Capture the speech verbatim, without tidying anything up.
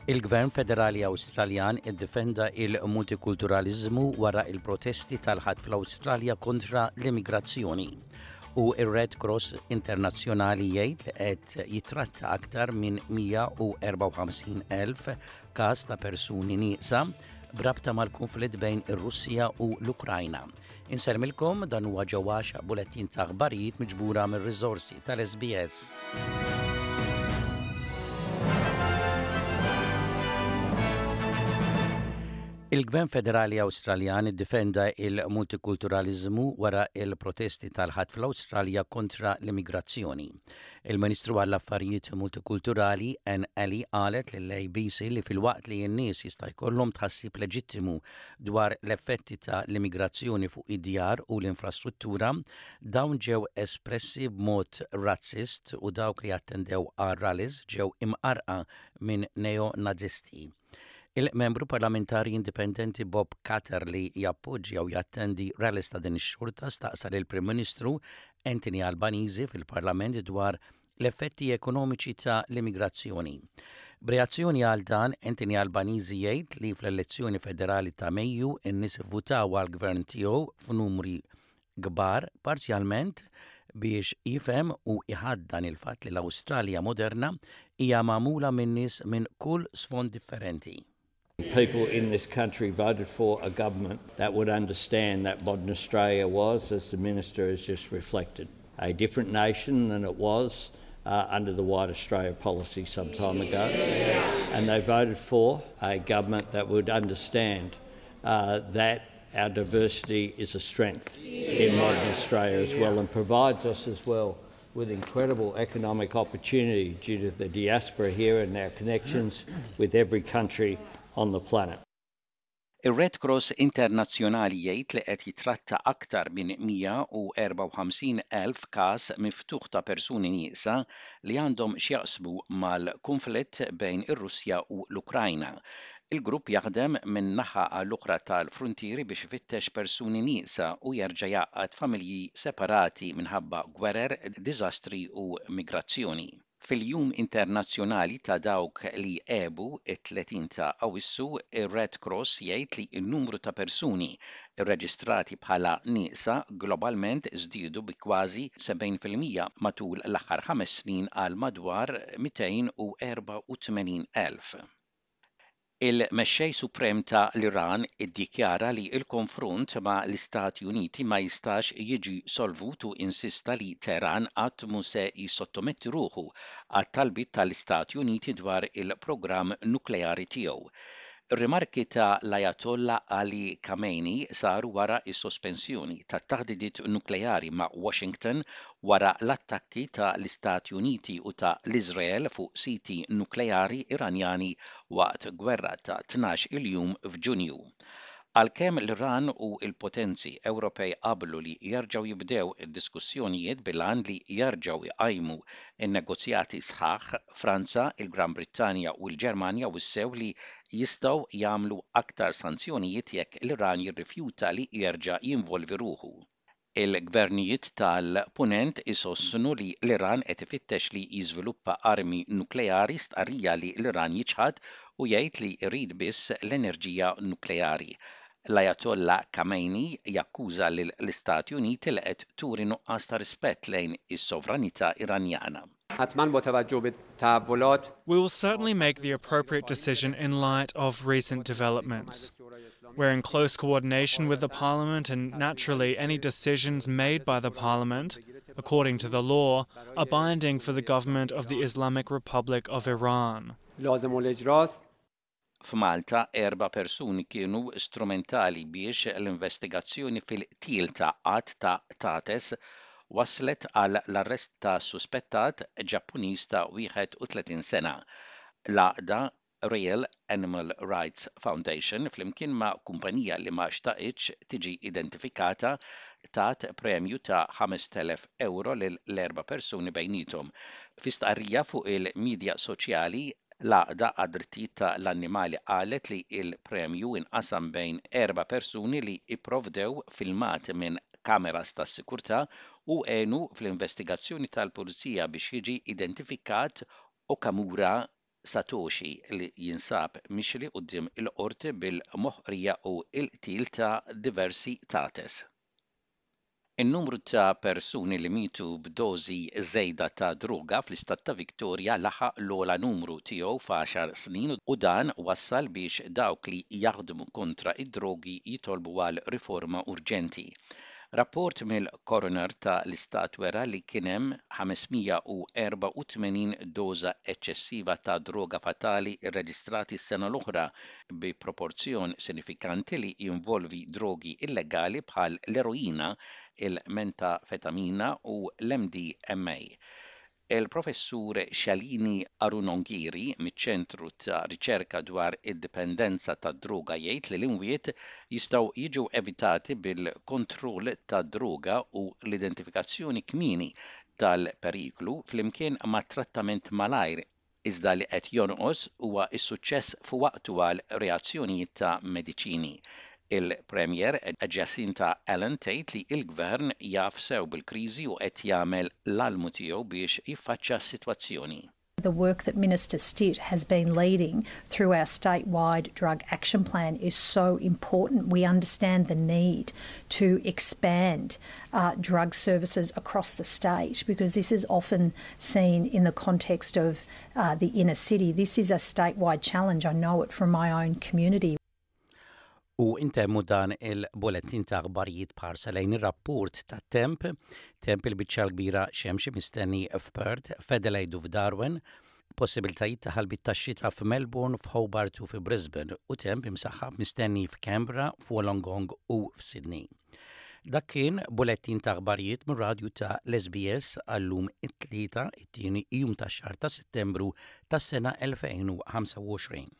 Il-Gvern Federali Awstraljan iddefenda il-multikulturalizmu wara il-protesti tal-Ħadd fl-Awstralja kontra l-immigrazzjoni. U ir-Red Cross Internazzjonali jgħid li qed jitratta aktar minn mija u erbgħa u ħamsin elf każ ta' persuni nieqsa b'rabta mal-konflitt bejn ir-Russja u l-Ukrajna. Insellmilkom, dan huwa Ġewwax, bulettin ta' aħbarijiet miġbura mir-riżorsi tal-S B S. Il-Gvern Federali Awstraljan iddefenda il-multikulturalizmu wara il-protesti tal-Ħadd fl-Awstralja kontra l-immigrazzjoni. Il-Ministru għall-Affarijiet Multikulturali Anne Aly qalet lill-A B C li filwaqt li n-nies jista' jkollhom tħassib leġittimu dwar l-effetti ta' l-immigrazzjoni fuq id-djar u l-infrastruttura, dawn ġew espressi b'mod razzist u dawk li attendew għal rallies ġew imqarqa minn neo-nazisti. Il-membru parlamentari indipendenti Bob Katter, li jappoġġja u jattendi rallies ta' din ix-xorta, staqsa lil Prim Ministru Anthony Albanese fil-Parlament dwar l-effetti ekonomiċi ta' l-immigrazzjoni. B'reazzjoni għal dan, Anthony Albanese jgħid li fl-elezzjoni federali ta' Mejju n-nies votaw għal gvern tiegħu f'numri kbar parzjalment biex jifhem u iħaddan il-fatt li l-Awstralja moderna hija magħmula minn nies minn kull sfond differenti. People in this country voted for a government that would understand that modern Australia was, as the Minister has just reflected, a different nation than it was uh, under the White Australia policy some time ago. And they voted for a government that would understand uh, that our diversity is a strength in modern Australia as well and provides us as well with incredible economic opportunity due to the diaspora here and our connections with every country on the planet. Ir-Red Cross Internazzjonali jgħid li qed jitratta aktar minn mija u erbgħa u ħamsin elf każ miftuħ ta' persuni nieqsa li għandhom x'jaqsmu mal-konflitt bejn ir-Russja u l-Ukrajna. Il-grupp jaħdem minn naħa għall oħra tal-frontieri biex ifittex persuni nieqsa u jerġa' jgħaqqad familji separati minħabba gwerer, diżastri u migrazzjoni. Fil-Jum Internazzjonali ta' dawk li għebu, it-tletin ta' Awissu, ir-Red Cross jgħid li n-numru ta' persuni irreġistrati bħala nieqsa globalment żdiedu bi kważi sebgħin fil-mija matul l-aħħar ħames snin għal madwar mitejn u erbgħa u tmenin elf. Il-Mexxej Suprem ta' l-Iran iddikjara li l-konfront ma' l-Istati Uniti ma jistax jiġi solvut u insista li Teheran qatt mhu se jissottometti ruħu għat-talbiet tal-Istati Uniti dwar il-programm nukleari tiegħu. Ir-rimarki ta' l-Ayatollah Ali Khamenei saru wara is-sospensjoni tat-taħdidiet nukleari ma' Washington wara l-attakki ta' l-Istati Uniti u ta' l-Iżrael fuq siti nukleari Iranjani waqt gwerra ta' tnax-il jum f'Ġunju. Għalkemm l-Iran u l-potenzi Ewropej qablu li jerġgħu jibdew id-diskussjonijiet bil-għan li jerġgħu jqajmu n-negozjati sħaħ, Franza, il-Gran Brittanja u l-Ġermanja wissew li jistgħu jagħmlu aktar sanzjonijiet jekk l-Iran jirrifjuta li jerġa' jinvolvi ruħu. Il-gvernijiet tal-Punent isostnu li l-Iran qed ifittex li jiżviluppa armi nukleari, stqarrija li l-Iran jiċħad u jgħid li jrid biss l-enerġija nukleari. L-Ayatollah Khamenei jakkuża lill-Istati Uniti li qed turi nuqqas ta' rispett lejn is-sovranità Iranjana. We will certainly make the appropriate decision in light of recent developments. We're in close coordination with the Parliament, and naturally, any decisions made by the Parliament, according to the law, are binding for the government of the Islamic Republic of Iran. F'Malta, erba' persuni kienu strumentali biex l-investigazzjoni fil-qtil ta' għadd ta' qtates waslet għal l-arrest ta' suspettat Ġappuniż ta' wieħed u tletin sena. L-għaqda Real Animal Rights Foundation, flimkien ma' kumpanija li ma xtaqitx tiġi identifikata, tat premju ta' ħamest elef euro lil l-erba' persuni bejnietom. Fi stqarrija fuq il-medja soċjali, l-għaqda għad-drittijiet ta' l-annimali qalet li il-premju inqasam bejn erba' persuni li ipprovdew filmat minn kameras tas-sikurtà u għenu fl-investigazzjoni tal-pulizija biex jiġi identifikat Okamura. Satoshi li jinsab mixli quddiem il-qorti bil-moħqrija u l-qtil ta' diversi qtates. In-numru ta' persuni li mitu b'dożi żejda ta' droga fl-istat ta' Victoria laħaq l-ogħla numru tiegħu f'għaxar snin u dan wassal biex dawk li jaħdmu kontra id-drogi jitolbu għal riforma urġenti. Rapport mill-Coroner ta' l-Istat wera li kien hemm ħames mija u erbgħa u tmenin doża eċċessiva ta' droga fatali rreġistrati s-sena l-oħra, bi proporzjon sinifikanti li jinvolvi drogi illegali bħal l-eroina, il-metafetamina u l-M D M A. Il-professur Shalini Arunogiri miċ-Ċentru ta' Riċerka dwar id-Dipendenza tad-Droga jgħid li l-imwiet jistgħu jiġu evitati bil-kontroll tad-droga u l-identifikazzjoni kmieni tal-periklu flimkien ma' trattament malajr, iżda li qed jonqos huwa s-suċċess f'waqtu għal reazzjonijiet ta' mediċini. Il-Premier Jacinta Allan tgħid li l-Gvern jaf sew bil-kriżi u qed jagħmel l-almu tiegħu biex jiffaċċja s-sitwazzjoni. The work that Minister Stitt has been leading through our statewide drug action plan is so important. We understand the need to expand uh, drug services across the state because this is often seen in the context of uh, the inner city. This is a statewide challenge. I know it from my own community. U intemmu dan il-bullettin ta' aħbarijiet b'ħarsa lejn ir-rapport ta' temp, temp il-biċċa kbira xemxi mistenni f'Perth, f'Adelaide u f'Darwin, possibiltajiet ta' ħalbiet ta' xita f'Melbourne, f'Hobart u f'Brisbane u temp imsaħħab mistenni f'Canberra, f'Wollongong u f'Sydney. Dak kien bullettin ta' aħbarijiet mir-radju ta' l-S B S għallum it-Tlieta, it-tieni jum ta' xahar ta' Settembru tas-sena elfejn u ħamsa u għoxrin.